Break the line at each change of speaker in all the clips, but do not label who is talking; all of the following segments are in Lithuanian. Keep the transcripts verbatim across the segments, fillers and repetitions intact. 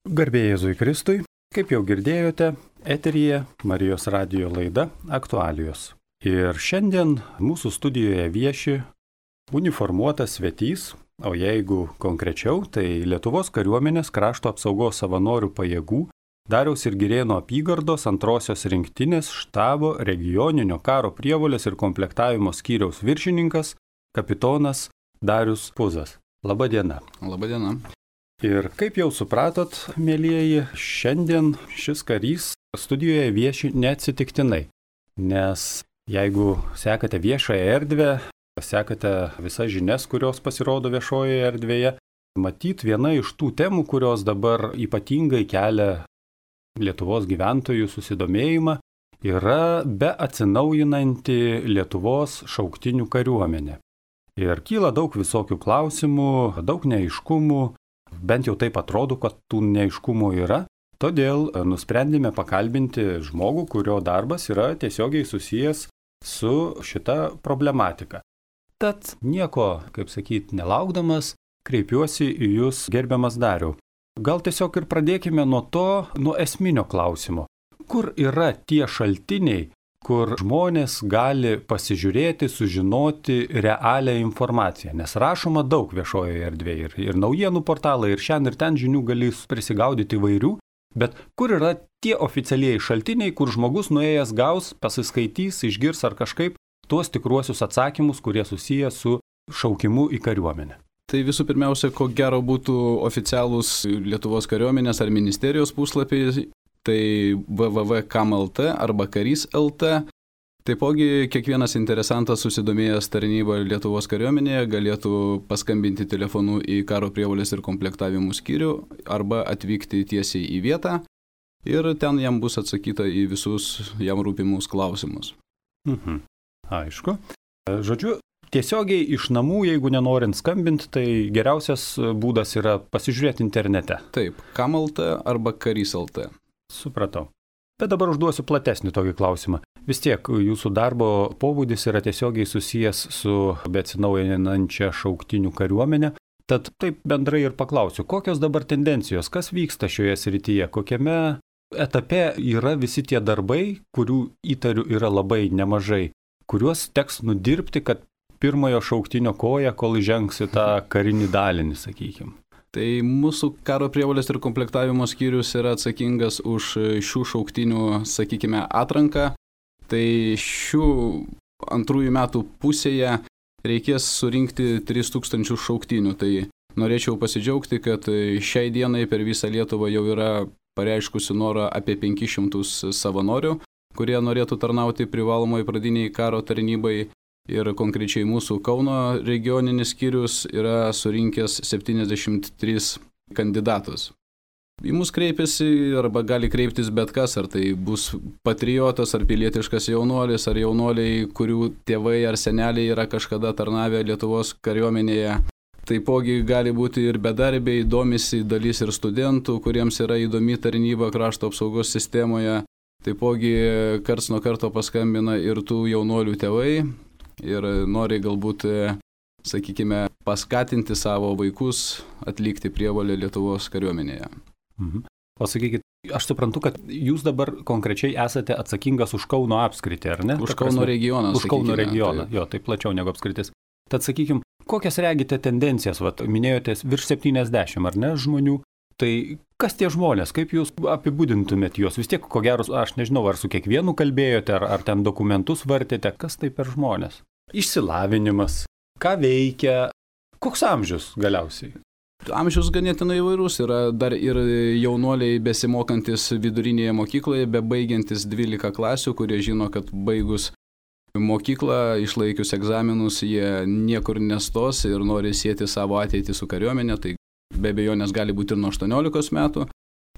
Garbė Jėzui Kristui, kaip jau girdėjote, eteryje Marijos radijo laida Aktualijos. Ir šiandien mūsų studijoje vieši uniformuotas svetys, o jeigu konkrečiau, tai Lietuvos kariuomenės krašto apsaugos savanorių pajėgų Dariaus ir Girėno apygardos antrosios rinktinės štabo regioninio karo prievolės ir komplektavimo skyriaus viršininkas, kapitonas Darius Puzas. Labą dieną.
Labą dieną.
Ir kaip jau supratot, mielieji, šiandien šis karys studijoje vieši neatsitiktinai, nes jeigu sekate viešąją erdvę, sekate visas žinias, kurios pasirodo viešojoje erdvėje, matyt viena iš tų temų, kurios dabar ypatingai kelia Lietuvos gyventojų susidomėjimą, yra beatsinaujinanti Lietuvos šauktinių kariuomenė. Ir kyla daug visokių klausimų, daug neaiškumų. Bent jau taip atrodo, kad tų neaiškumų yra, todėl nusprendėme pakalbinti žmogų, kurio darbas yra tiesiogiai susijęs su šita problematika. Tad nieko, kaip sakyti, nelaukdamas, kreipiuosi į jūs, gerbiamas Dariau. Gal tiesiog ir pradėkime nuo to, nuo esminio klausimo. Kur yra tie šaltiniai, kur žmonės gali pasižiūrėti, sužinoti realią informaciją. Nes rašoma daug viešojoje erdvėje ir, ir naujienų portalai, ir šiandien ir ten žinių gali prisigaudyti įvairių, bet kur yra tie oficialieji šaltiniai, kur žmogus nuėjęs gaus, pasiskaitys, išgirs ar kažkaip tuos tikruosius atsakymus, kurie susiję su šaukimu į kariuomenę.
Tai visų pirmiausia, ko gero būtų oficialūs Lietuvos kariuomenės ar ministerijos puslapiai, tai w w w taškas kam taškas l t arba karys taškas l t. Taipogi kiekvienas interesantas susidomėjęs tarnybą Lietuvos kariuomenėje galėtų paskambinti telefonu į karo prievolės ir komplektavimų skyrių arba atvykti tiesiai į vietą ir ten jam bus atsakyta į visus jam rūpimus klausimus.
Mhm. Aišku. Žodžiu, tiesiogiai iš namų, jeigu nenorint skambinti, tai geriausias būdas yra pasižiūrėti internete.
Taip, kam taškas l t arba karys taškas l t.
Supratau. Bet dabar užduosiu platesnį tokį klausimą. Vis tiek jūsų darbo pobūdis yra tiesiogiai susijęs su beatsinaujinančia šauktinių kariuomenė. Tad taip bendrai ir paklausiu, kokios dabar tendencijos, kas vyksta šioje srityje, kokiame etape yra visi tie darbai, kurių įtarių yra labai nemažai, kuriuos teks nudirbti, kad pirmojo šauktinio koja, kol įžengs į tą karinį dalinį, sakykime.
Tai mūsų karo prievolės ir komplektavimo skyrius yra atsakingas už šių šauktinių, sakykime, atranką. Tai šių antrųjų metų pusėje reikės surinkti tris tūkstančius šauktinių. Tai norėčiau pasidžiaugti, kad šiai dienai per visą Lietuvą jau yra pareiškusi norą apie penkis šimtus savanorių, kurie norėtų tarnauti privalomai pradiniai karo tarnybai. Ir konkrečiai mūsų Kauno regioninis skyrius yra surinkęs septyniasdešimt tris kandidatus. Į mus kreipiasi arba gali kreiptis bet kas, ar tai bus patriotas, ar pilietiškas jaunuolis, ar jaunuoliai, kurių tėvai ar seneliai yra kažkada tarnavę Lietuvos kariuomenėje. Taipogi gali būti ir bedarbiai, domisi dalis ir studentų, kuriems yra įdomi tarnyba krašto apsaugos sistemoje. Taipogi karts nuo karto paskambina ir tų jaunuolių tėvai. Ir nori galbūt, sakykime, paskatinti savo vaikus atlikti prievolę Lietuvos kariuomenėje.
Mhm. O sakykit, aš suprantu, kad jūs dabar konkrečiai esate atsakingas už Kauno apskritį, ar ne?
Už Kauno regioną.
Už Kauno regioną, jo, tai plačiau negu apskritis. Tad sakykim, kokias regite tendencijas, vat, minėjote virš septyniasdešimt, ar ne, žmonių? Tai kas tie žmonės, kaip jūs apibūdintumėt juos? Vis tiek, ko gero, aš nežinau, ar su kiekvienu kalbėjote, ar, ar ten dokumentus vartėte, kas tai per žmonės? Išsilavinimas, ką veikia, koks amžius galiausiai?
Amžius ganėtinai įvairus, yra dar ir jaunuoliai besimokantis vidurinėje mokykloje, bebaigiantis dvylika klasių, kurie žino, kad baigus mokyklą, išlaikius egzaminus, jie niekur nestos ir nori sieti savo ateitį su kariuomenė, tai be abejonės gali būti ir nuo aštuoniolikos metų.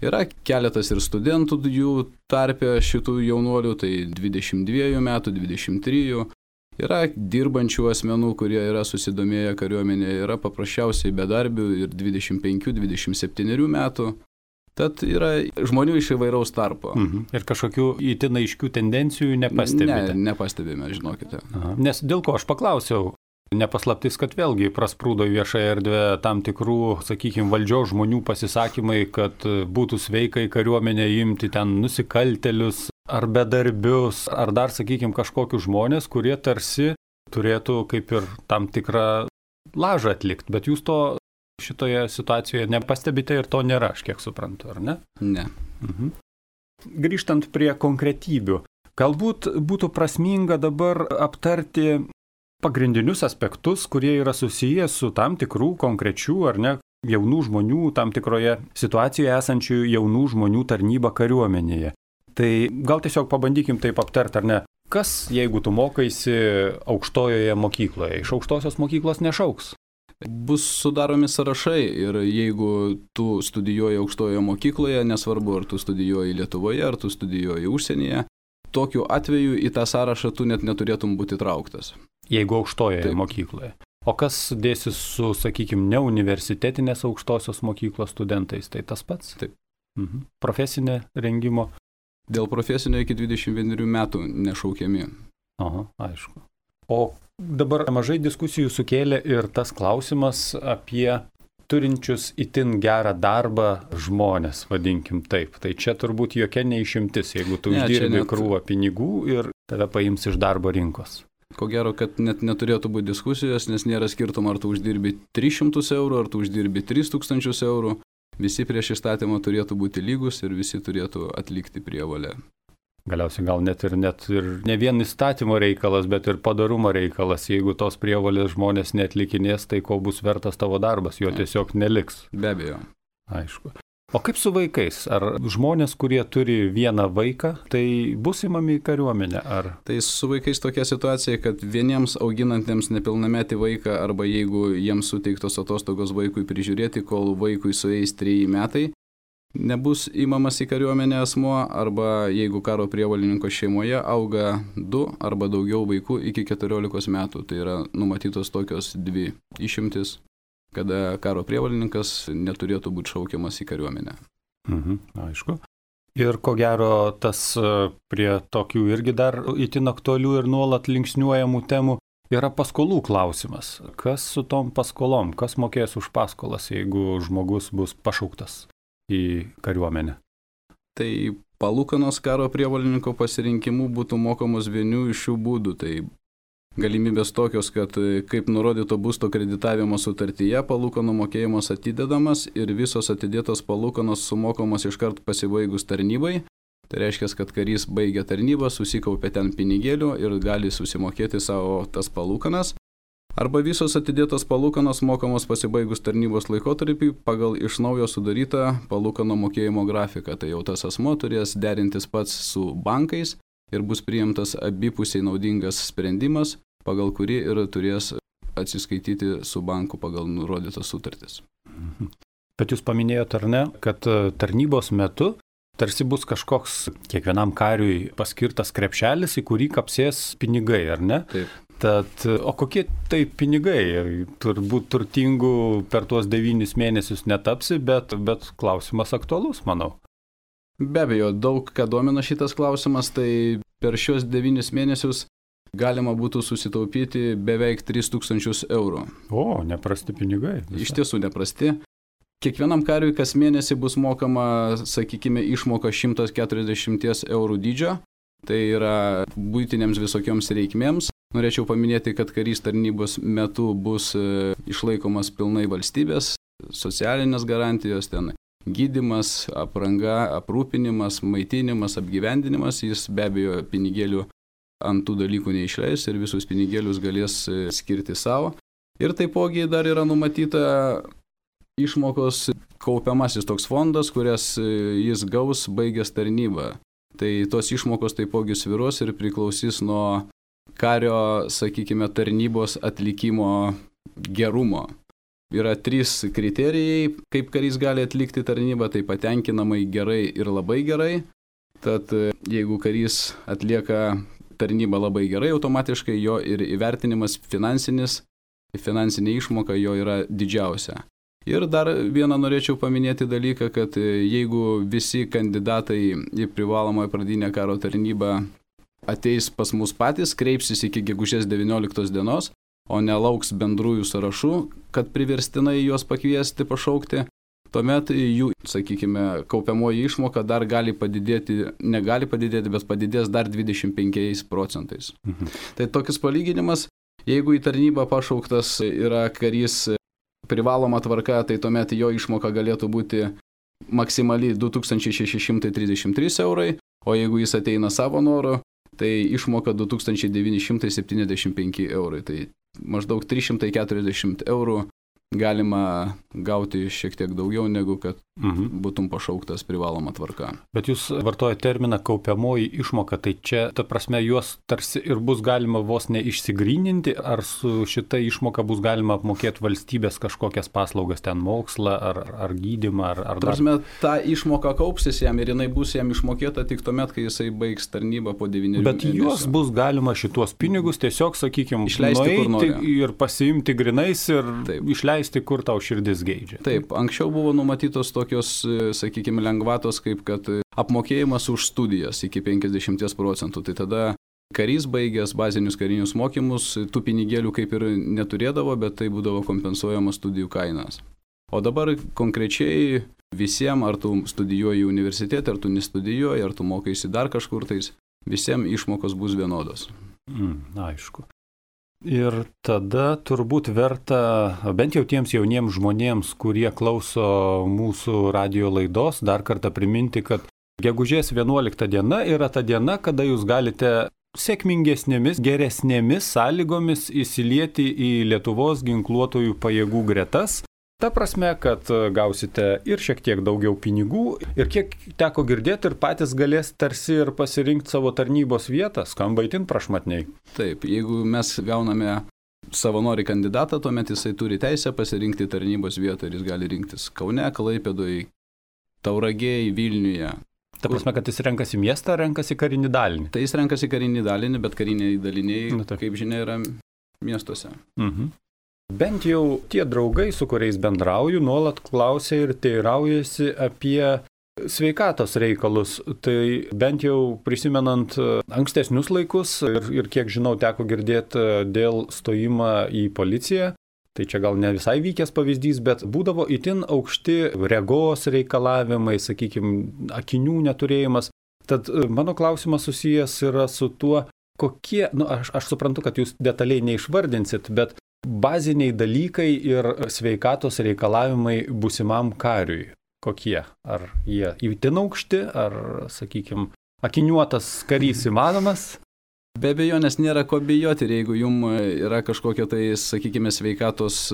Yra keletas ir studentų jų tarpe šitų jaunuolių, tai dvidešimt dviejų metų, dvidešimt trijų. Yra dirbančių asmenų, kurie yra susidomėję kariuomenėje, yra paprasčiausiai bedarbių ir dvidešimt penkių dvidešimt septynių metų. Tad yra žmonių iš įvairaus tarpo.
Mhm. Ir kažkokių itin aiškių tendencijų nepastebite?
Ne, nepastebime, žinokite.
Aha. Nes dėl ko aš paklausiau, nepaslaptis, kad vėlgi prasprūdo į viešąją erdvę tam tikrų, sakykime, valdžios žmonių pasisakymai, kad būtų sveika į kariuomenę imti ten nusikaltelius ar bedarbius, ar dar, sakykime, kažkokius žmonės, kurie tarsi turėtų kaip ir tam tikrą lažą atlikti, bet jūs to šitoje situacijoje nepastebite ir to nėra, aš kiek suprantu, ar ne?
Ne.
Mhm. Grįžtant prie konkretybių, galbūt būtų prasminga dabar aptarti pagrindinius aspektus, kurie yra susijęs su tam tikrų konkrečių ar ne jaunų žmonių, tam tikroje situacijoje esančių jaunų žmonių tarnyba kariuomenėje. Tai gal tiesiog pabandykim taip aptarti, ar ne? Kas, jeigu tu mokaisi aukštojoje mokykloje, iš aukštosios mokyklos nešauks?
Bus sudaromi sąrašai ir jeigu tu studijuoji aukštojoje mokykloje, nesvarbu ar tu studijuoji Lietuvoje, ar tu studijuoji užsienyje, tokiu atveju į tą sąrašą tu net neturėtum būti trauktas.
Jeigu aukštojoje
Taip.
Mokykloje. O kas dėsis su, sakykime, neuniversitetinės aukštosios mokyklos studentais, tai tas pats?
Taip.
Mhm. Profesinė rengimo?
Dėl profesinio iki dvidešimt vienerių metų nešaukiami.
Aha, aišku. O dabar mažai diskusijų sukėlė ir tas klausimas apie turinčius itin gerą darbą žmonės, vadinkim taip. Tai čia turbūt jokia neišimtis, jeigu tu
Ne,
uždirbi
net...
krūvą pinigų ir tave paims iš darbo rinkos.
Ko gero, kad net neturėtų būti diskusijos, nes nėra skirtumo, ar tu uždirbi tris šimtus eurų, ar tu uždirbi tris tūkstančius eurų. Visi prieš įstatymą turėtų būti lygus ir visi turėtų atlikti prievolę.
Galiausiai gal net ir, net ir ne vien įstatymo reikalas, bet ir padarumo reikalas. Jeigu tos prievolės žmonės neatlikinės, tai ko bus vertas tavo darbas, jo tiesiog neliks.
Be abejo.
Aišku. O kaip su vaikais? Ar žmonės, kurie turi vieną vaiką, tai bus įmami į kariuomenę? Ar...
Tai su vaikais tokia situacija, kad vieniems auginantiems nepilnametį vaiką arba jeigu jiems suteiktos atostogos vaikui prižiūrėti, kol vaikui sueis treji metai, nebus įmamas į kariuomenę asmuo, arba jeigu karo prievolininko šeimoje auga du arba daugiau vaikų iki keturiolikos metų. Tai yra numatytos tokios dvi išimtis, kada karo prievolininkas neturėtų būti šaukiamas į kariuomenę.
Mhm, aišku. Ir ko gero tas prie tokių irgi dar itin aktualių ir nuolat linksniuojamų temų yra paskolų klausimas. Kas su tom paskolom? Kas mokės už paskolas, jeigu žmogus bus pašauktas į kariuomenę?
Tai palūkanos karo prievolininko pasirinkimu būtų mokamos vienu iš šių būdų. Tai galimybės tokios, kad kaip nurodyto būsto kreditavimo sutartyje palūkanų mokėjimas atidedamas ir visos atidėtos palūkanos sumokamos iškart pasibaigus tarnybai. Tai reiškia, kad karys baigia tarnybą, susikaupia ten pinigėlių ir gali susimokėti savo tas palūkanas. Arba visos atidėtos palūkanos mokamos pasibaigus tarnybos laikotarpį pagal iš naujo sudarytą palūkanų mokėjimo grafiką. Tai jau tas asmo turės derintis pats su bankais ir bus priimtas abipusiai naudingas sprendimas, pagal kurį ir turės atsiskaityti su banku pagal nurodytas sutartis.
Bet jūs paminėjote, ar ne, kad tarnybos metu tarsi bus kažkoks kiekvienam kariui paskirtas krepšelis, į kurį kapsės pinigai, ar ne?
Taip.
Tad, o kokie tai pinigai? Turbūt turtingų per tuos devynis mėnesius netapsi, bet, bet klausimas aktualus, manau.
Be abejo, daug ką domina šitas klausimas, tai per šios devynis mėnesius galima būtų susitaupyti beveik tris tūkstančius eurų.
O, neprasti pinigai. Visa.
Iš tiesų neprasti. Kiekvienam kariui kas mėnesį bus mokama, sakykime, išmoka šimtas keturiasdešimt eurų dydžio. Tai yra buitinėms visokioms reikmėms. Norėčiau paminėti, kad karys tarnybos metu bus išlaikomas pilnai valstybės, socialinės garantijos ten. Gydymas, apranga, aprūpinimas, maitinimas, apgyvendinimas, jis be abejo pinigėlių ant tų dalykų neišleis ir visus pinigėlius galės skirti savo. Ir taipogi dar yra numatyta išmokos kaupiamasis toks fondas, kurias jis gaus baigęs tarnybą. Tai tos išmokos taipogi svyruos ir priklausys nuo kario, sakykime, tarnybos atlikimo gerumo. Yra trys kriterijai, kaip karys gali atlikti tarnybą, tai patenkinamai gerai ir labai gerai. Tad jeigu karys atlieka tarnybą labai gerai, automatiškai jo ir įvertinimas finansinis, finansinė išmoka jo yra didžiausia. Ir dar vieną norėčiau paminėti dalyką, kad jeigu visi kandidatai į privalomą pradinę karo tarnybą ateis pas mus patys, kreipsis iki gegužės devynioliktos dienos, o nelauks bendrųjų sąrašų, kad priverstinai juos pakviesti pašaukti, tuomet jų, sakykime, kaupiamoji išmoka dar gali padidėti, negali padidėti, bet padidės dar dvidešimt penkiais procentais. Mhm. Tai tokis palyginimas, jeigu į tarnybą pašauktas yra karys privaloma tvarka, tai tuomet jo išmoka galėtų būti maksimaliai du tūkstančiai šeši šimtai trisdešimt trys eurai, o jeigu jis ateina savo noru, tai išmoka du tūkstančiai devyni šimtai septyniasdešimt penki eurai. Tai maždaug trys šimtai keturiasdešimt eurų galima gauti šiek tiek daugiau, negu kad mhm. būtum pašauktas privaloma tvarka.
Bet jūs vartojate terminą kaupiamoji išmoka, tai čia, ta prasme, juos tarsi ir bus galima vos neišsigryninti, ar su šita išmoka bus galima apmokėti valstybės kažkokias paslaugas, ten mokslą, ar, ar gydymą, ar, ar
dar... Tarsi, ta išmoka kaupsis jam ir jinai bus jam išmokėta tik tuomet, kai jisai baigs tarnybą po devynerių
mėnesių. Bet juos bus galima šituos pinigus tiesiog, sakykime,
išleisti kur nori.
Ir pasiimti grinais ir Taip. Išleisti, kur tau širdis geidžia.
Taip, anksčiau buvo numatytos tokios, sakykime, lengvatos, kaip kad apmokėjimas už studijas iki penkiasdešimt procentų. Tai tada karys baigęs bazinius karinius mokymus, tų pinigėlių kaip ir neturėdavo, bet tai būdavo kompensuojamas studijų kainas. O dabar konkrečiai visiems, ar tu studijuoji universitete, ar tu nestudijuoji, ar tu mokaisi dar kažkur tais, visiems išmokos bus vienodos.
Mm, aišku. Ir tada turbūt verta, bent jau tiems jauniems žmonėms, kurie klauso mūsų radijo laidos, dar kartą priminti, kad gegužės vienuolikta diena yra ta diena, kada jūs galite sėkmingesnėmis, geresnėmis sąlygomis įsilieti į Lietuvos ginkluotojų pajėgų gretas. Ta prasme, kad gausite ir šiek tiek daugiau pinigų ir kiek teko girdėti ir patys galės tarsi ir pasirinkti savo tarnybos vietą, skamba itin prašmatniai.
Taip, jeigu mes gauname savanorį kandidatą, tuomet jisai turi teisę pasirinkti tarnybos vietą ir jis gali rinktis Kaune, Klaipėdoje, Tauragėje, Vilniuje.
Ta prasme, kad jis renkasi miestą, renkasi karinį dalinį.
Tai jis renkasi karinį dalinį, bet kariniai daliniai, Na, kaip žinia, yra miestuose.
Mhm. Bent jau tie draugai, su kuriais bendrauju, nuolat klausia ir teiraujasi apie sveikatos reikalus. Tai bent jau prisimenant ankstesnius laikus ir, ir kiek žinau teko girdėti dėl stojimą į policiją, tai čia gal ne visai vykęs pavyzdys, bet būdavo itin aukšti regos reikalavimai, sakykime, akinių neturėjimas. Tad mano klausimas susijęs yra su tuo, kokie, nu aš, aš suprantu, kad jūs detaliai neišvardinsit, bet baziniai dalykai ir sveikatos reikalavimai būsimam kariui. Kokie? Ar jie itin aukšti, ar, sakykime, akiniuotas karys įmanomas?
Be abejo, nes nėra ko bijoti, ir jeigu jums yra kažkokia tai, sakykime, sveikatos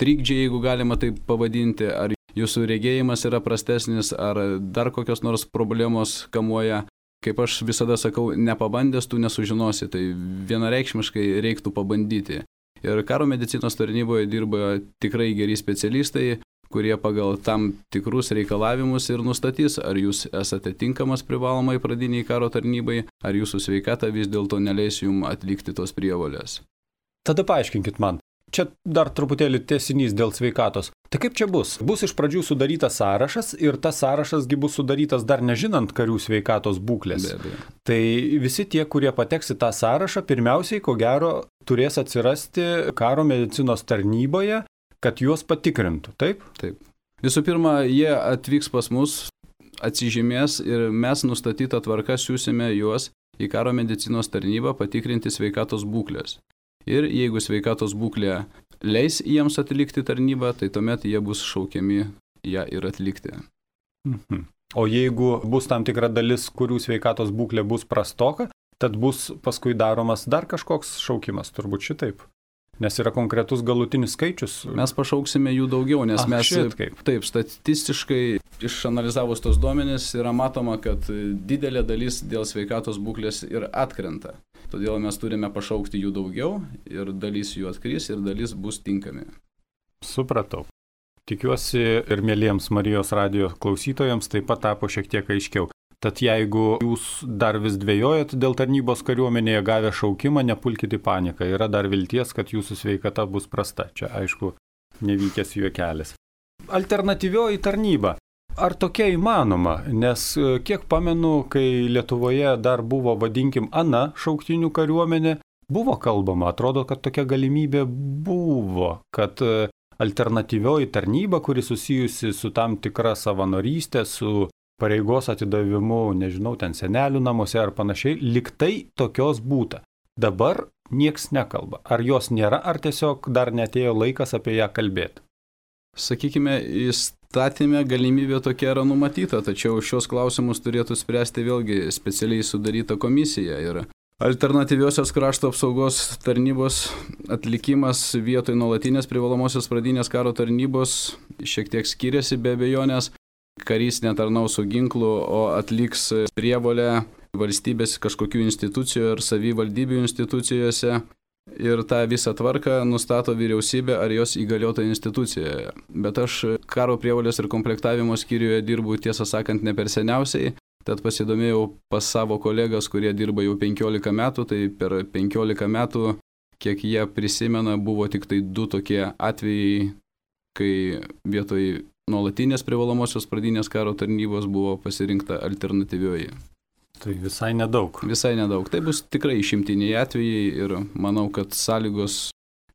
trikdžiai, jeigu galima tai pavadinti, ar jūsų regėjimas yra prastesnis, ar dar kokios nors problemos kamuoja. Kaip aš visada sakau, nepabandęs tu nesužinosi, tai vienareikšmiškai reiktų pabandyti. Ir karo medicinos tarnyboje dirba tikrai geri specialistai, kurie pagal tam tikrus reikalavimus ir nustatys, ar jūs esate tinkamas privalomai pradiniai karo tarnybai, ar jūsų sveikata vis dėlto neleis jums atlikti tos prievolės.
Tada paaiškinkit man, čia dar truputėlį tęsinys dėl sveikatos. Tai kaip čia bus? Bus iš pradžių sudarytas sąrašas ir tas sąrašasgi bus sudarytas dar nežinant karių sveikatos būklės.
Be abejo.
Tai visi tie, kurie pateks į tą sąrašą, pirmiausiai, ko gero, turės atsirasti karo medicinos tarnyboje, kad juos patikrintų, taip?
Taip. Visų pirma, jie atvyks pas mus, atsižymės ir mes nustatytą tvarką siūsime juos į karo medicinos tarnybą patikrinti sveikatos būklės. Ir jeigu sveikatos būklė leis jiems atlikti tarnybą, tai tuomet jie bus šaukiami ją ir atlikti.
Mhm. O jeigu bus tam tikra dalis, kurių sveikatos būklė bus prastoka, tad bus paskui daromas dar kažkoks šaukimas, turbūt šitaip. Nes yra konkretus galutinis skaičius.
Mes pašauksime jų daugiau, nes
Ach,
mes,
šitkaip.
taip, statistiškai išanalizavus tos duomenis yra matoma, kad didelė dalis dėl sveikatos būklės ir atkrenta. Todėl mes turime pašaukti jų daugiau ir dalis jų atkris ir dalis bus tinkami.
Supratau. Tikiuosi ir mėlyjams Marijos radijo klausytojams taip pat tapo šiek tiek aiškiau. Tad jeigu jūs dar vis dvejojat dėl tarnybos kariuomenėje gavę šaukimą, nepulkite į paniką. Yra dar vilties, kad jūsų sveikata bus prasta. Čia, aišku, nevykęs juokelis. Alternatyvioji tarnyba. Ar tokia įmanoma? Nes kiek pamenu, kai Lietuvoje dar buvo, vadinkim, ana šauktinių kariuomenė, buvo kalbama, atrodo, kad tokia galimybė buvo, kad alternatyvioji tarnyba, kuri susijusi su tam tikra savanorystė, su pareigos atidavimu, nežinau, ten senelių namuose ar panašiai, liktai tokios būta. Dabar nieks nekalba. Ar jos nėra, ar tiesiog dar netėjo laikas apie ją kalbėti?
Sakykime, įstatymė galimybė tokia yra numatyta, tačiau šios klausimus turėtų spręsti vėlgi specialiai sudaryta komisija. Ir alternatyviosios krašto apsaugos tarnybos atlikimas vietoj nuolatinės privalomosios pradinės karo tarnybos šiek tiek skiriasi be abejonės. Karys netarnaus su ginklu, o atliks prievolę valstybės kažkokių institucijų ir savivaldybių institucijose. Ir tą visą tvarką nustato vyriausybė ar jos įgaliota institucijoje. Bet aš karo prievolės ir komplektavimo skyriuje dirbu, tiesą sakant, ne per seniausiai. Tad pasidomėjau pas savo kolegas, kurie dirba jau penkiolika metų, tai per penkiolika metų, kiek jie prisimena, buvo tik tai du tokie atvejai, kai vietoj nuolatinės privalomosios pradinės karo tarnybos buvo pasirinkta alternatyvioji.
Tai visai nedaug.
Visai nedaug. Tai bus tikrai išimtiniai atvejai ir manau, kad sąlygos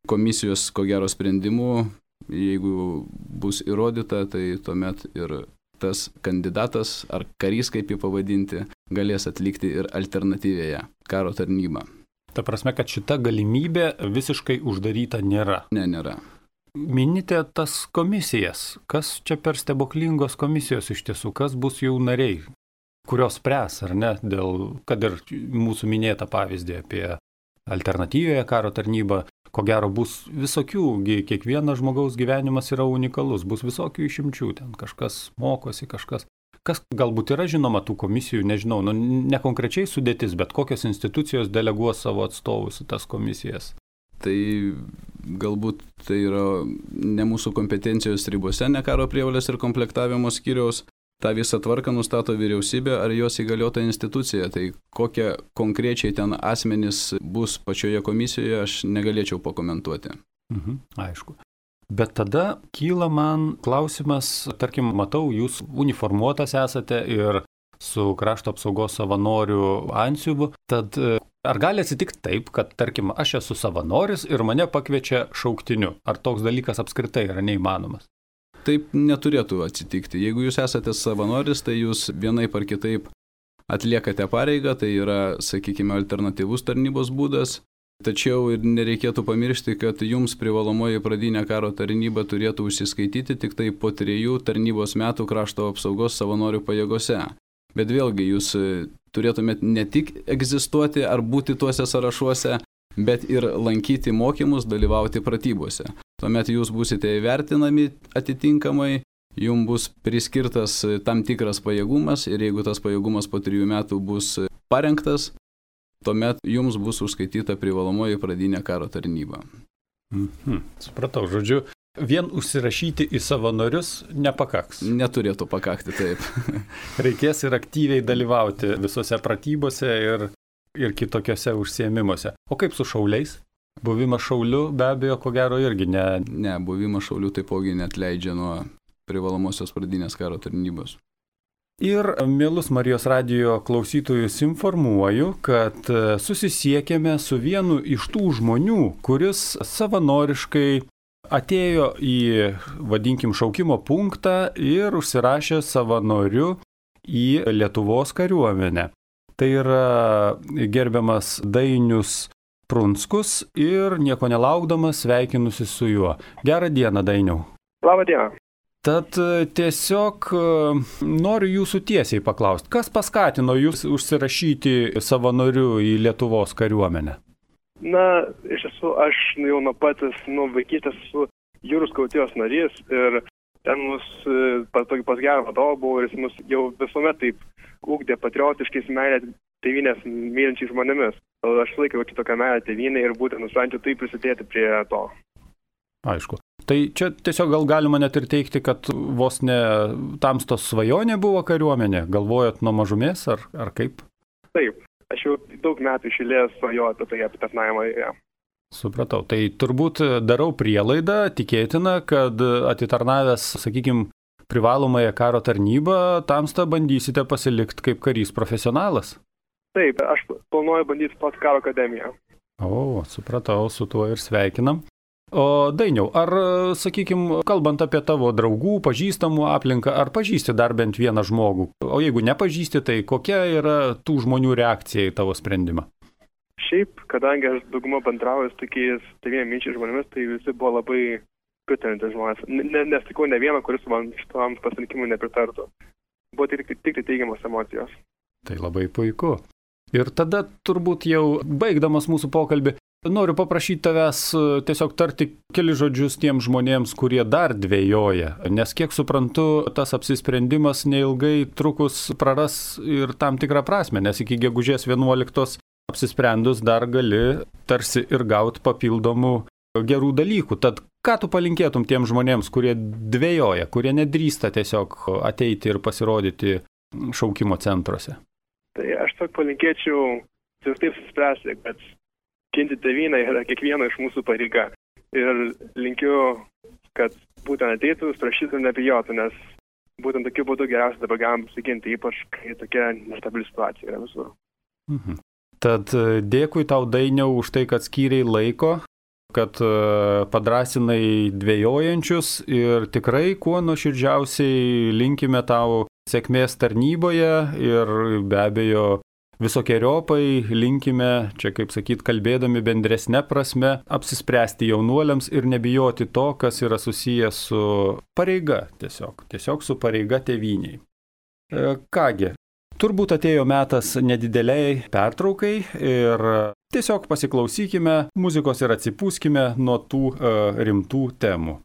komisijos ko gero sprendimu, jeigu bus įrodyta, tai tuomet ir tas kandidatas ar karys, kaip jį pavadinti, galės atlikti ir alternatyvėje karo tarnybą.
Ta prasme, kad šita galimybė visiškai uždaryta nėra.
Ne, nėra.
Minite tas komisijas. Kas čia per stebuklingos komisijos iš tiesų? Kas bus jų nariai? Kurios spręs, ar ne? Dėl, kad ir mūsų minėta pavyzdį apie alternatyvėje karo tarnybą, ko gero bus visokių, kiekvienas žmogaus gyvenimas yra unikalus, bus visokių išimčių, ten kažkas mokosi, kažkas. Kas galbūt yra žinoma tų komisijų, nežinau, nu, ne konkrečiai sudėtis, bet kokios institucijos deleguos savo atstovus į tas komisijas.
Tai galbūt tai yra ne mūsų kompetencijos ribose, ne karo prievolės ir komplektavimo skyriaus. Ta visą tvarką nustato vyriausybė ar jos įgaliota institucija. Tai kokie konkrečiai ten asmenys bus pačioje komisijoje, aš negalėčiau pakomentuoti.
Mhm, aišku. Bet tada kyla man klausimas, tarkim, matau, jūs uniformuotas esate ir su krašto apsaugos savanorių antsiuvu, tad ar gali atsitikti taip, kad, tarkim, aš esu savanoris ir mane pakviečia šauktiniu? Ar toks dalykas apskritai yra neįmanomas?
Taip neturėtų atsitikti. Jeigu jūs esate savanoris, tai jūs vienaip ar kitaip atliekate pareigą, tai yra, sakykime, alternatyvus tarnybos būdas. Tačiau ir nereikėtų pamiršti, kad jums privalomoji pradinė karo tarnyba turėtų užsiskaityti tik tai po trejų tarnybos metų krašto apsaugos savanorių pajėgose. Bet vėlgi, jūs turėtumėte ne tik egzistuoti ar būti tuose sąrašuose, bet ir lankyti mokymus, dalyvauti pratybose. Tuomet jūs būsite įvertinami atitinkamai, jums bus priskirtas tam tikras pajėgumas ir jeigu tas pajėgumas po trijų metų bus parengtas, tuomet jums bus užskaityta privalomoji pradinė karo tarnyba.
Mhm. Supratau, žodžiu, vien užsirašyti į savanorius nepakaks.
Neturėtų pakakti, taip.
Reikės ir aktyviai dalyvauti visose pratybose ir, ir kitokiose užsiėmimuose. O kaip su šauliais? Buvimas šauliu be abejo, ko gero irgi ne.
Ne, buvimas šauliu taipogi neatleidžia nuo privalomosios pradinės karo tarnybos.
Ir, mielus Marijos radijo klausytojus, informuoju, kad susisiekėme su vienu iš tų žmonių, kuris savanoriškai atėjo į, vadinkim, šaukimo punktą ir užsirašė savanoriu į Lietuvos kariuomenę. Tai yra gerbiamas Dainius Prunskus ir nieko nelaukdamas sveikinusi su juo. Gerą dieną, Dainiau.
Labą dieną.
Tad tiesiog noriu jūsų tiesiai paklausti, kas paskatino jūs užsirašyti savanoriu į Lietuvos kariuomenę?
Na, iš tiesų, aš jau nuo patys, nuo vaikystės esu jūrų skautijos narys ir ten mus pas, pas gerą vadovą buvo ir jis mus jau visuomet taip ugdė patriotiškais meilę tėvynės mylinčiais žmonėmis. Aš laikiau kitokią meilę tėvynę ir būtent nusprendžiau taip prisidėti prie to.
Aišku. Tai čia tiesiog gal galima net ir teikti, kad vos ne tamstos svajonė buvo kariuomenė, galvojot nuo mažumės ar, ar kaip?
Taip, aš jau daug metų iš eilės svajoju apie tai, apie tarnavimą. Ja.
Supratau. Tai turbūt darau prielaidą, tikėtina, kad atitarnavęs, sakykime, privalomąją karo tarnybą, tamstą bandysite pasilikti kaip karys profesionalas.
Taip, aš planuoju bandyti stoti karo akademiją.
O, supratau, su tuo ir sveikinam. O Dainiau, ar, sakykime, kalbant apie tavo draugų, pažįstamų aplinką, ar pažįsti dar bent vieną žmogų? O jeigu nepažįsti, tai kokia yra tų žmonių reakcija į tavo sprendimą?
Šiaip, kadangi aš daugumą bendrauju su tokiais devyniaminčiais žmonėmis, tai visi buvo labai pritariantys žmonės. Ne, nesutikau ne vieną, kuris man šitam pasirinkimui nepritartų. Buvo tik, tik, tik teigiamos emocijos.
Tai labai puiku. Ir tada turbūt jau baigdamas mūsų pokalbį, noriu paprašyti tavęs tiesiog tarti keli žodžius tiems žmonėms, kurie dar dvejoja, nes kiek suprantu, tas apsisprendimas neilgai trukus praras ir tam tikrą prasme, nes iki gegužės vienuoliktos apsisprendus dar gali tarsi ir gauti papildomų gerų dalykų. Tad ką tu palinkėtum tiems žmonėms, kurie dvejoja, kurie nedrįsta tiesiog ateiti ir pasirodyti šaukimo centruose?
Tai aš tik palinkėčiau ir taip suspręsti, kad ginti tėvynę yra kiekvieno iš mūsų pareiga. Ir linkiu, kad būtent ateitų, prašytų ir nebijotų, nes būtent tokiu būdu geriausia dabar galim pasiginti, ypač kai tokia nestabili situacija yra visur.
Mhm. Tad dėkui tau, Dainiau, už tai, kad skyrei laiko, kad padrasinai dvejojančius ir tikrai kuo nuoširdžiausiai linkime tau sėkmės tarnyboje ir be abejo visokiojopai linkime, čia kaip sakyt, kalbėdami bendresne prasme, apsispręsti jaunuoliams ir nebijoti to, kas yra susijęs su pareiga, tiesiog, tiesiog su pareiga tėvyniai. Kągi, turbūt atėjo metas nedideliai pertraukai ir tiesiog pasiklausykime muzikos ir atsipūskime nuo tų uh, rimtų temų.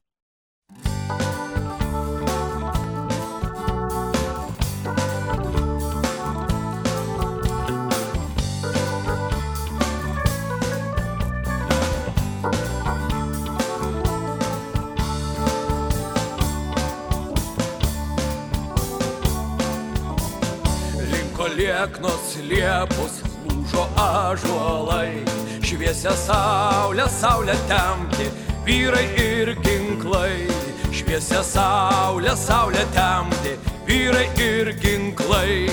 Lieknos liepos, lūžo ąžuolai, šviesia saulė, saulė temti, vyrai ir ginklai. Šviesia saulė, saulė temti, vyrai ir ginklai.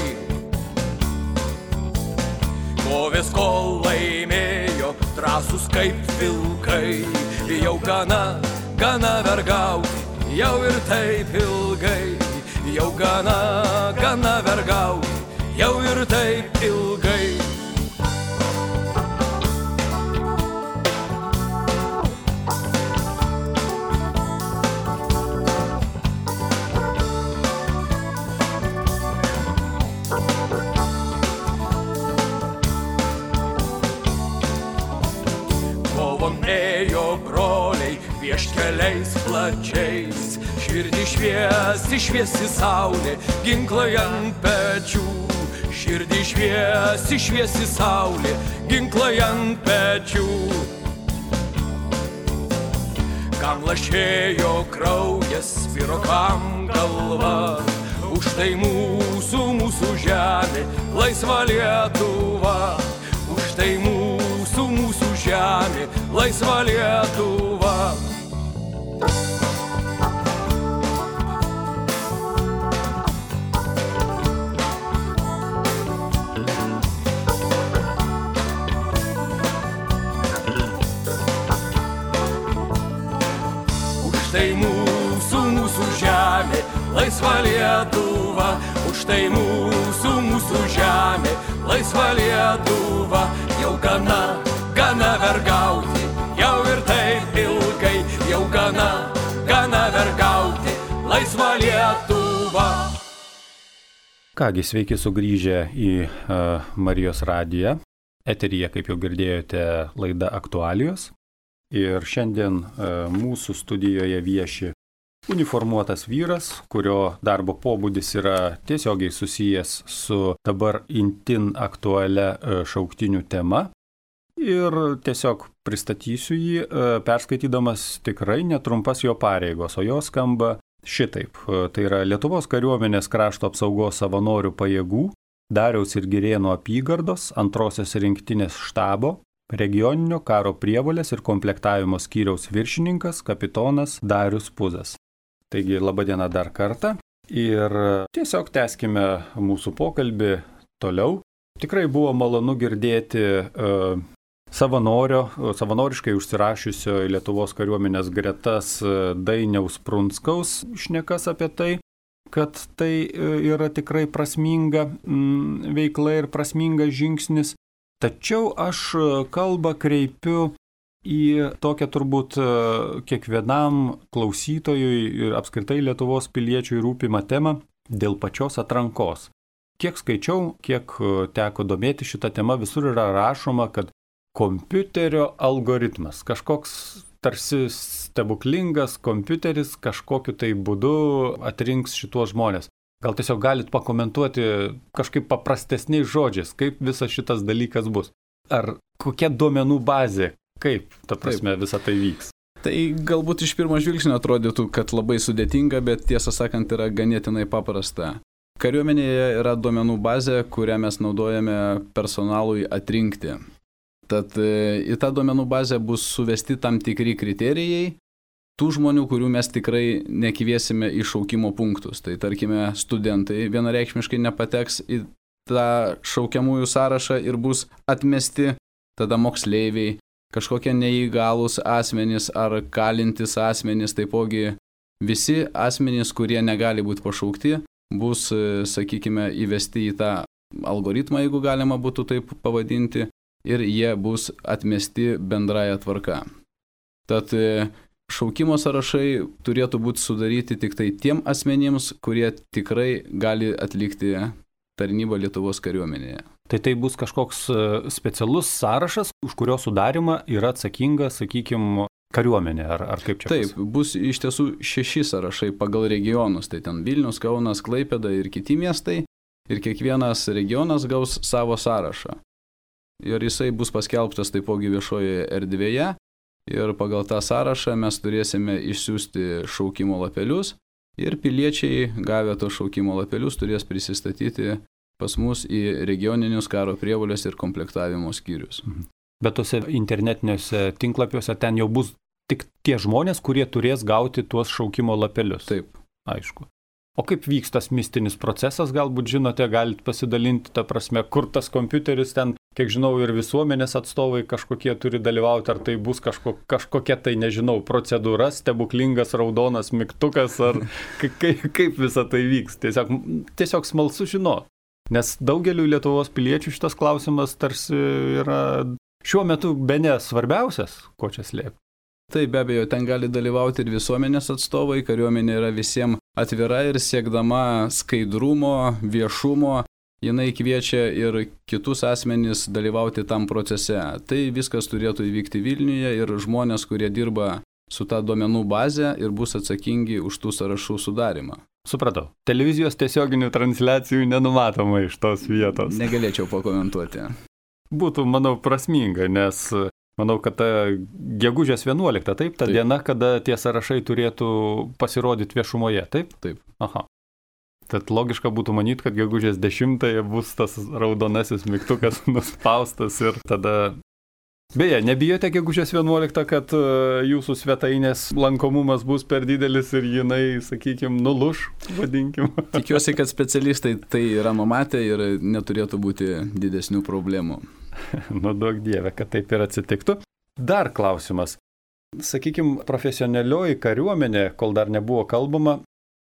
Kovės kol laimėjo, drąsus kaip vilkai, jau gana, gana vergauti, jau ir taip ilgai, jau gana, gana vergauti. Jau ir taip ilgai. Kovon ėjo broliai vieškeliais plačiais, širdį šviesi, šviesi saulė, ginklai ant pečių. Širdį šviesi, šviesi saulė, ginklai ant pečių. Kam lašėjo kraujas, sviro kam galva, už tai mūsų, mūsų žemė, laisva Lietuva. Už tai mūsų, mūsų žemė, laisva Lietuva. Tai mūsų, mūsų žemė, laisva Lietuva. Už tai mūsų, mūsų žemė, laisva Lietuva. Jau gana, gana vergauti, jau ir taip ilgai. Jau gana, gana vergauti, laisva Lietuva.
Kągi, sveiki sugrįžę į uh, Marijos radiją. Eteryje, kaip jau girdėjote, laida Aktualijos. Ir šiandien e, mūsų studijoje vieši uniformuotas vyras, kurio darbo pobūdis yra tiesiogiai susijęs su dabar intin aktualia e, šauktinių tema. Ir tiesiog pristatysiu jį, e, perskaitydamas tikrai netrumpas jo pareigos, o jos skamba šitaip. E, tai yra Lietuvos kariuomenės krašto apsaugos savanorių pajėgų, Dariaus ir Girėno apygardos, antrosios rinktinės štabo, regioninio karo prievolės ir komplektavimo skyriaus viršininkas kapitonas Darius Puzas. Taigi, laba diena dar kartą ir tiesiog tęskime mūsų pokalbį toliau. Tikrai buvo malonu girdėti uh, savanorio, savanoriškai užsirašiusio į Lietuvos kariuomenės gretas Dainiaus Prunskaus šnekas apie tai, kad tai yra tikrai prasminga veikla ir prasmingas žingsnis. Tačiau aš kalbą kreipiu į tokią turbūt kiekvienam klausytojui ir apskritai Lietuvos piliečiui rūpimą temą dėl pačios atrankos. Kiek skaičiau, kiek teko domėti šitą temą, visur yra rašoma, kad kompiuterio algoritmas, kažkoks tarsi stebuklingas kompiuteris kažkokiu tai būdu atrinks šituos žmonės. Gal tiesiog galit pakomentuoti kažkaip paprastesniais žodžiais, kaip visas šitas dalykas bus. Ar kokia duomenų bazė, kaip, ta prasme, Taip. Visa tai vyks.
Tai galbūt iš pirmo žvilgsnio atrodytų, kad labai sudėtinga, bet tiesą sakant yra ganėtinai paprasta. Kariuomenėje yra duomenų bazė, kurią mes naudojame personalui atrinkti. Tad į tą duomenų bazę bus suvesti tam tikri kriterijai tų žmonių, kurių mes tikrai nekviesime į šaukimo punktus. Tai tarkime, studentai vienareikšmiškai nepateks į tą šaukiamųjų sąrašą ir bus atmesti, tada moksleiviai, kažkokie neįgalūs asmenys ar kalintys asmenys, taipogi visi asmenys, kurie negali būti pašaukti, bus, sakykime, įvesti į tą algoritmą, jeigu galima būtų taip pavadinti, ir jie bus atmesti bendraja tvarka. Tad šaukimo sąrašai turėtų būti sudaryti tik tai tiem asmenims, kurie tikrai gali atlikti tarnybą Lietuvos kariuomenėje.
Tai tai bus kažkoks specialus sąrašas, už kurio sudarimą yra atsakinga, sakykime, kariuomenė, ar, ar kaip čia?
Taip, bus iš tiesų šeši sąrašai pagal regionus, tai ten Vilnius, Kaunas, Klaipėda ir kiti miestai, ir kiekvienas regionas gaus savo sąrašą. Ir jisai bus paskelbtas taipogi viešojoje erdvėje ir pagal tą sąrašą mes turėsime išsiųsti šaukimo lapelius ir piliečiai gavę tos šaukimo lapelius turės prisistatyti pas mus į regioninius karo prievolės ir komplektavimo skyrius.
Bet tose internetiniuose tinklapiuose ten jau bus tik tie žmonės, kurie turės gauti tuos šaukimo lapelius.
Taip.
Aišku. O kaip vyks tas mistinis procesas, galbūt žinote, galite pasidalinti, ta prasme, kur tas kompiuteris ten, kiek žinau, ir visuomenės atstovai kažkokie turi dalyvauti, ar tai bus kažko, kažkokia tai, nežinau, procedūra, stebuklingas raudonas mygtukas, ar kaip, kaip visa tai vyks. Tiesiog, tiesiog smalsu žinoti, nes daugeliu Lietuvos piliečių šitas klausimas tarsi yra šiuo metu bene svarbiausias, ko čia slėpti.
Taip, be abejo, ten gali dalyvauti ir visuomenės atstovai, kariuomenė yra visiems atvira ir siekdama skaidrumo, viešumo, jinai kviečia ir kitus asmenys dalyvauti tam procese. Tai viskas turėtų įvykti Vilniuje ir žmonės, kurie dirba su ta duomenų bazė ir bus atsakingi už tų sąrašų sudarimą.
Supratau. Televizijos tiesioginių transliacijų nenumatoma iš tos vietos.
Negalėčiau pakomentuoti.
Būtų, manau, prasminga, nes manau, kad ta gegužės vienuolikta, taip, ta taip. Diena, kada tie sąrašai turėtų pasirodyti viešumoje, taip?
Taip.
Aha. Tad logiška būtų manyti, kad gegužės dešimtąją bus tas raudonasis mygtukas nuspaustas ir tada... Beje, nebijote gegužės vienuoliktą, kad jūsų svetainės lankomumas bus per didelis ir jinai, sakykime, nuluš, vadinkim.
Tikiuosi, kad specialistai tai yra numatę ir neturėtų būti didesnių problemų.
Nu, duok Dieve, kad taip ir atsitiktų. Dar klausimas. Sakykime, profesionalioji kariuomenė, kol dar nebuvo kalbama,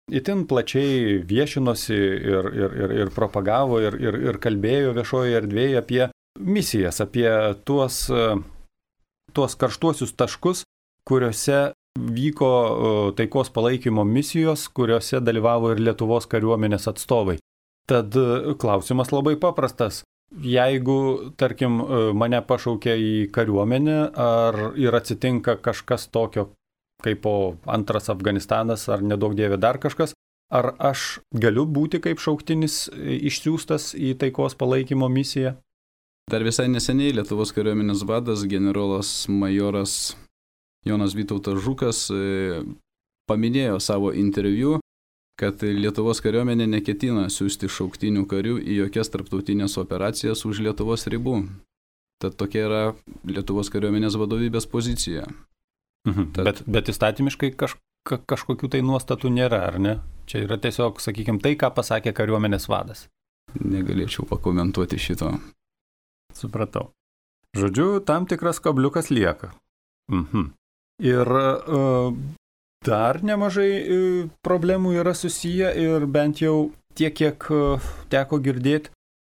itin plačiai viešinosi ir, ir, ir, ir propagavo ir, ir, ir kalbėjo viešoje erdvėje apie misijas, apie tuos, tuos karštuosius taškus, kuriuose vyko taikos palaikymo misijos, kuriuose dalyvavo ir Lietuvos kariuomenės atstovai. Tad klausimas labai paprastas. Jeigu, tarkim, mane pašaukia į kariuomenę, ar ir atsitinka kažkas tokio, kaip po antras Afganistanas, ar nedaug dievė dar kažkas, ar aš galiu būti kaip šauktinis išsiųstas į taikos palaikymo misiją?
Dar visai neseniai Lietuvos kariuomenės vadas, generolas majoras Jonas Vytautas Žukas paminėjo savo interviu, kad Lietuvos kariuomenė neketina siųsti šauktinių karių į jokias tarptautinės operacijas už Lietuvos ribų. Tad tokia yra Lietuvos kariuomenės vadovybės pozicija.
Mhm. Tad... Bet, bet įstatymiškai kaž, ka, kažkokių tai nuostatų nėra, ar ne? Čia yra tiesiog, sakykime, tai, ką pasakė kariuomenės vadas.
Negalėčiau pakomentuoti šito.
Supratau. Žodžiu, tam tikras kabliukas lieka. Mhm. Ir uh, dar nemažai uh, problemų yra susiję ir bent jau tiek, kiek uh, teko girdėti,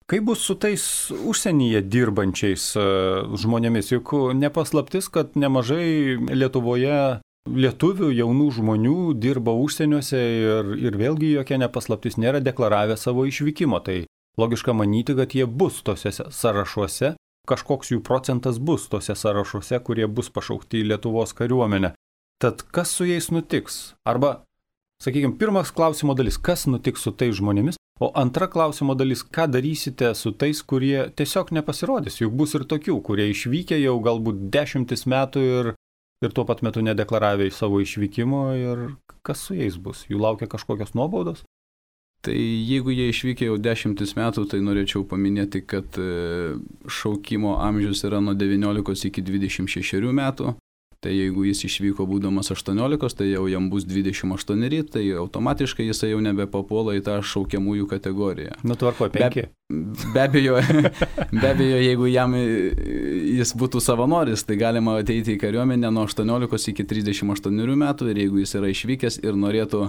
kaip bus su tais užsienyje dirbančiais uh, žmonėmis. Juk nepaslaptis, kad nemažai Lietuvoje lietuvių jaunų žmonių dirba užsieniuose ir, ir vėlgi jokia nepaslaptis nėra deklaravę savo išvykimo. Tai logiška manyti, kad jie bus tose sąrašuose. Kažkoks jų procentas bus tose sąrašuose, kurie bus pašaukti į Lietuvos kariuomenę. Tad kas su jais nutiks? Arba, sakykime, pirmas klausimo dalis, kas nutiks su tais žmonėmis, o antra klausimo dalis, ką darysite su tais, kurie tiesiog nepasirodys. Juk bus ir tokių, kurie išvykę jau galbūt dešimtis metų ir, ir tuo pat metu nedeklaravę savo išvykimo ir kas su jais bus? Jų laukia kažkokios nuobaudos?
Tai jeigu jie išvykę jau dešimtis metų, tai norėčiau paminėti, kad šaukimo amžius yra nuo devyniolikos iki dvidešimt šešerių metų. Tai jeigu jis išvyko būdamas aštuoniolikos, tai jau jam bus dvidešimt aštuoneri, tai automatiškai jisai jau nebepapuola į tą šaukiamųjų kategoriją.
Nu, tvarko, penki.
Be, be abejo, be abejo, jeigu jam jis būtų savanoris, tai galima ateiti į kariuomenę nuo aštuoniolikos iki trisdešimt aštuonerių metų ir jeigu jis yra išvykęs ir norėtų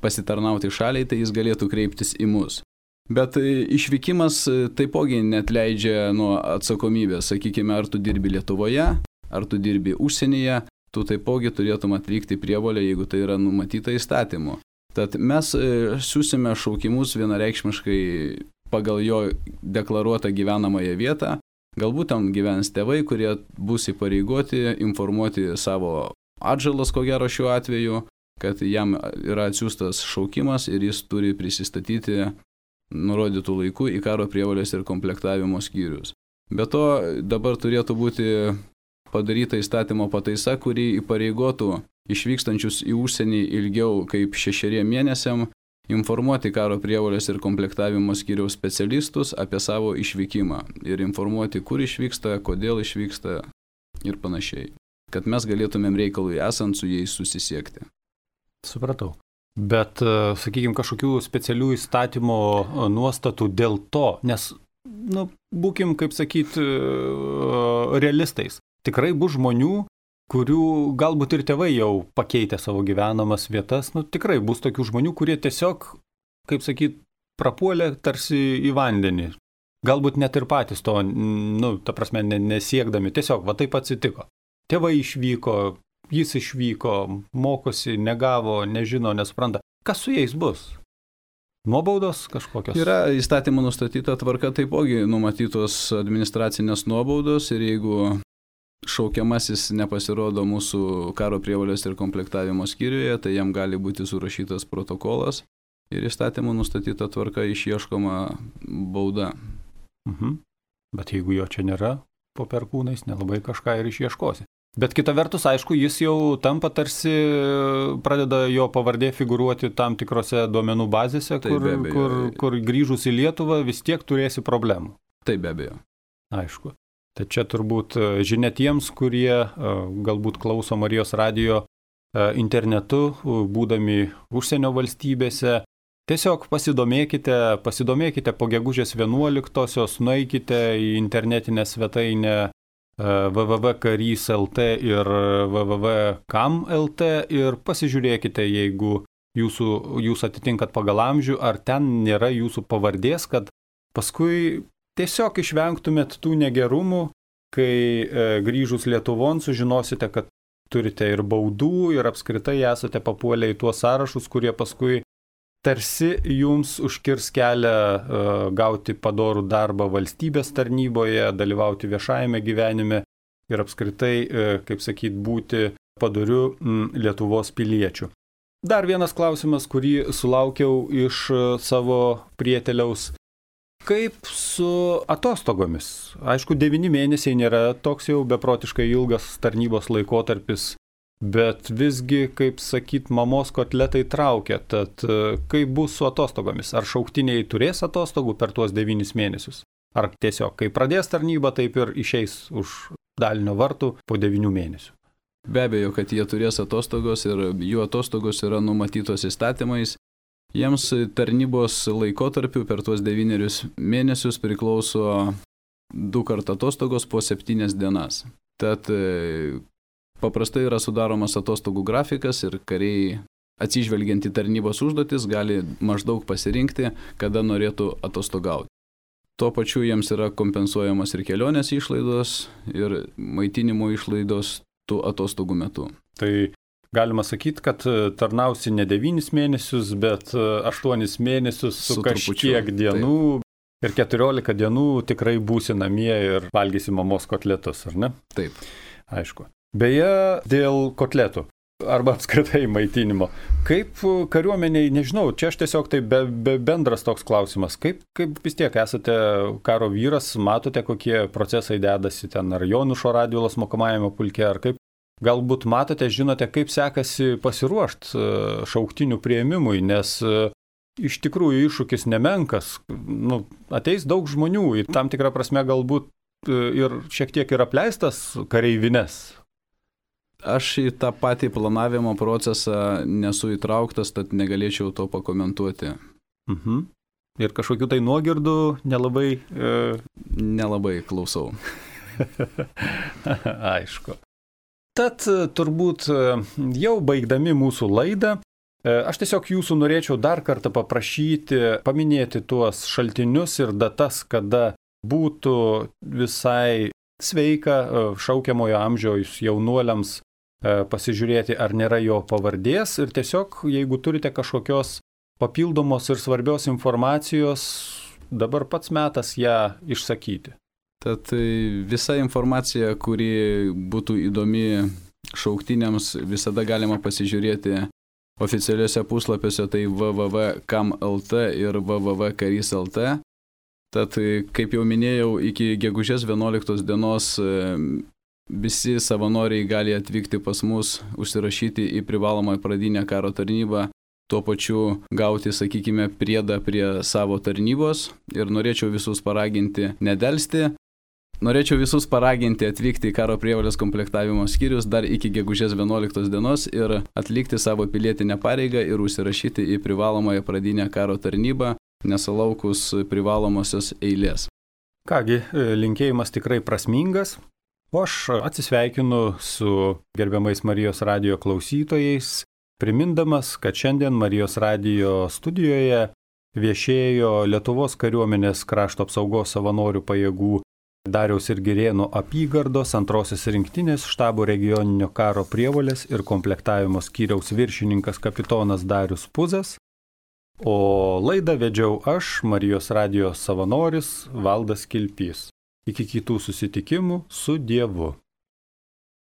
pasitarnauti šaliai, tai jis galėtų kreiptis į mus. Bet išvykimas taipogi netleidžia nuo atsakomybės. Sakykime, ar tu dirbi Lietuvoje, ar tu dirbi užsienyje, tu taipogi turėtum atlikti prievolę, jeigu tai yra numatyta įstatymu. Tad mes siūsime šaukimus vienareikšmiškai pagal jo deklaruotą gyvenamąją vietą. Galbūt tam gyvens tėvai, kurie bus įpareigoti informuoti savo atžalas, ko gero šiuo atveju, kad jam yra atsiųstas šaukimas ir jis turi prisistatyti nurodytų laikų į karo prievolės ir komplektavimo skyrius. Be to, dabar turėtų būti padaryta įstatymo pataisa, kuri įpareigotų išvykstančius į užsienį ilgiau kaip šešeriem mėnesiam informuoti karo prievolės ir komplektavimo skyriaus specialistus apie savo išvykimą ir informuoti, kur išvyksta, kodėl išvyksta ir panašiai, kad mes galėtumėm reikalui esant su jais susisiekti.
Supratau. Bet, sakykime, kažkokių specialių įstatymo nuostatų dėl to, nes, nu, būkim, kaip sakyti, realistais. Tikrai bus žmonių, kurių galbūt ir tėvai jau pakeitė savo gyvenamas vietas, nu, tikrai bus tokių žmonių, kurie tiesiog, kaip sakyti, prapuolė tarsi į vandenį. Galbūt net ir patys to, nu, ta prasme, nesiekdami, tiesiog, va taip atsitiko. Tėvai išvyko, jis išvyko, mokosi, negavo, nežino, nesupranta. Kas su jais bus? Nuobaudos kažkokios?
Yra įstatymų nustatyta tvarka, taipogi numatytos administracinės nuobaudos ir jeigu šaukiamasis nepasirodo mūsų karo prievolės ir komplektavimo skyriuje, tai jam gali būti surašytas protokolas ir įstatymų nustatyta tvarka išieškoma bauda.
Mhm. Bet jeigu jo čia nėra, po perkūnais nelabai kažką ir išieškosi. Bet kita vertus, aišku, jis jau tampa tarsi, pradeda jo pavardė figūruoti tam tikrose duomenų bazėse, kur, kur, kur grįžus į Lietuvą vis tiek turėsi problemų.
Taip, be abejo.
Aišku. Tai čia turbūt žinia tiems, kurie galbūt klauso Marijos radijo internetu, būdami užsienio valstybėse. Tiesiog pasidomėkite, pasidomėkite po gegužės vienuoliktosios, nueikite į internetinę svetainę w w w taškas karys taškas l t ir w w w taškas kam taškas l t ir pasižiūrėkite, jeigu jūsų, jūs atitinkat pagal amžių, ar ten nėra jūsų pavardės, kad paskui tiesiog išvengtumėt tų negerumų, kai e, grįžus Lietuvon sužinosite, kad turite ir baudų ir apskritai esate papuolę į tuos sąrašus, kurie paskui tarsi jums užkirs kelią uh, gauti padorų darbą valstybės tarnyboje, dalyvauti viešajame gyvenime ir apskritai, uh, kaip sakyt, būti padoriu mm, Lietuvos piliečiu. Dar vienas klausimas, kurį sulaukiau iš uh, savo prieteliaus. Kaip su atostogomis? Aišku, devyni mėnesiai nėra toks jau beprotiškai ilgas tarnybos laikotarpis, bet visgi, kaip sakyt, mamos kotletai traukia, tad kaip bus su atostogomis? Ar šauktiniai turės atostogų per tuos devynis mėnesius? Ar tiesiog, kai pradės tarnybą, taip ir išeis už dalinio vartų po devynių mėnesių?
Be abejo, kad jie turės atostogos ir jų atostogos yra numatytos įstatymais. Jiems tarnybos laikotarpiu per tuos devynerius mėnesius priklauso du kartų atostogos po septynias dienas. Tad paprastai yra sudaromas atostogų grafikas ir kariai, atsižvelgiant į tarnybos užduotis, gali maždaug pasirinkti, kada norėtų atostogauti. Tuo pačiu jiems yra kompensuojamas ir kelionės išlaidos, ir maitinimo išlaidos tų atostogų metu.
Tai galima sakyti, kad tarnausi ne devynis mėnesius, bet aštuonis mėnesius su, su kažkiek dienų. Taip. Ir keturiolika dienų tikrai būsi namie ir valgysi mamos kotletus, ar ne?
Taip.
Aišku. Beje, dėl kotletų arba apskritai maitinimo. Kaip kariuomeniai, nežinau, čia aš tiesiog tai be, be bendras toks klausimas. Kaip, kaip vis tiek esate karo vyras, matote, kokie procesai dedasi ten, ar Jonušo Radvilos mokomajame pulke, ar kaip? Galbūt matote, žinote, kaip sekasi pasiruošti šauktinių priėmimui, nes iš tikrųjų iššūkis nemenkas. Nu, ateis daug žmonių, į tam tikrą prasme galbūt ir šiek tiek ir apleistas kareivines.
Aš į tą patį planavimo procesą nesu įtrauktas, tad negalėčiau to pakomentuoti.
Mhm. Ir kažkokių tai nuogirdų nelabai... E...
Nelabai klausau.
Aišku. Tad turbūt jau baigdami mūsų laidą, aš tiesiog jūsų norėčiau dar kartą paprašyti, paminėti tuos šaltinius ir datas, kada būtų visai sveika šaukiamojo amžiaus jaunuoliams pasižiūrėti, ar nėra jo pavardės ir tiesiog, jeigu turite kažkokios papildomos ir svarbios informacijos, dabar pats metas ją išsakyti.
Tad visa informacija, kuri būtų įdomi šauktiniams, visada galima pasižiūrėti oficialiuose puslapiuose, tai w w w taškas kam taškas l t ir w w w taškas karys taškas l t. Tad, kaip jau minėjau, iki gegužės vienuoliktos dienos visi savanoriai gali atvykti pas mus, užsirašyti į privalomą pradinę karo tarnybą, tuo pačiu gauti, sakykime, priedą prie savo tarnybos ir norėčiau visus paraginti nedelsti. Norėčiau visus paraginti atvykti į karo prievolės komplektavimo skyrius dar iki gegužės vienuoliktos dienos ir atlikti savo pilietinę pareigą ir užsirašyti į privalomąją pradinę karo tarnybą, nesulaukus privalomosios eilės.
Kągi, linkėjimas tikrai prasmingas. O aš atsisveikinu su gerbiamais Marijos radijo klausytojais, primindamas, kad šiandien Marijos radijo studijoje viešėjo Lietuvos kariuomenės krašto apsaugos savanorių pajėgų Dariaus ir Girėno apygardos antrosios rinktinės štabo regioninio karo prievolės ir komplektavimo skyriaus viršininkas kapitonas Darius Puzas, o laidą vedžiau aš, Marijos radijo savanoris Valdas Kilpys. Iki kitų susitikimų su Dievu.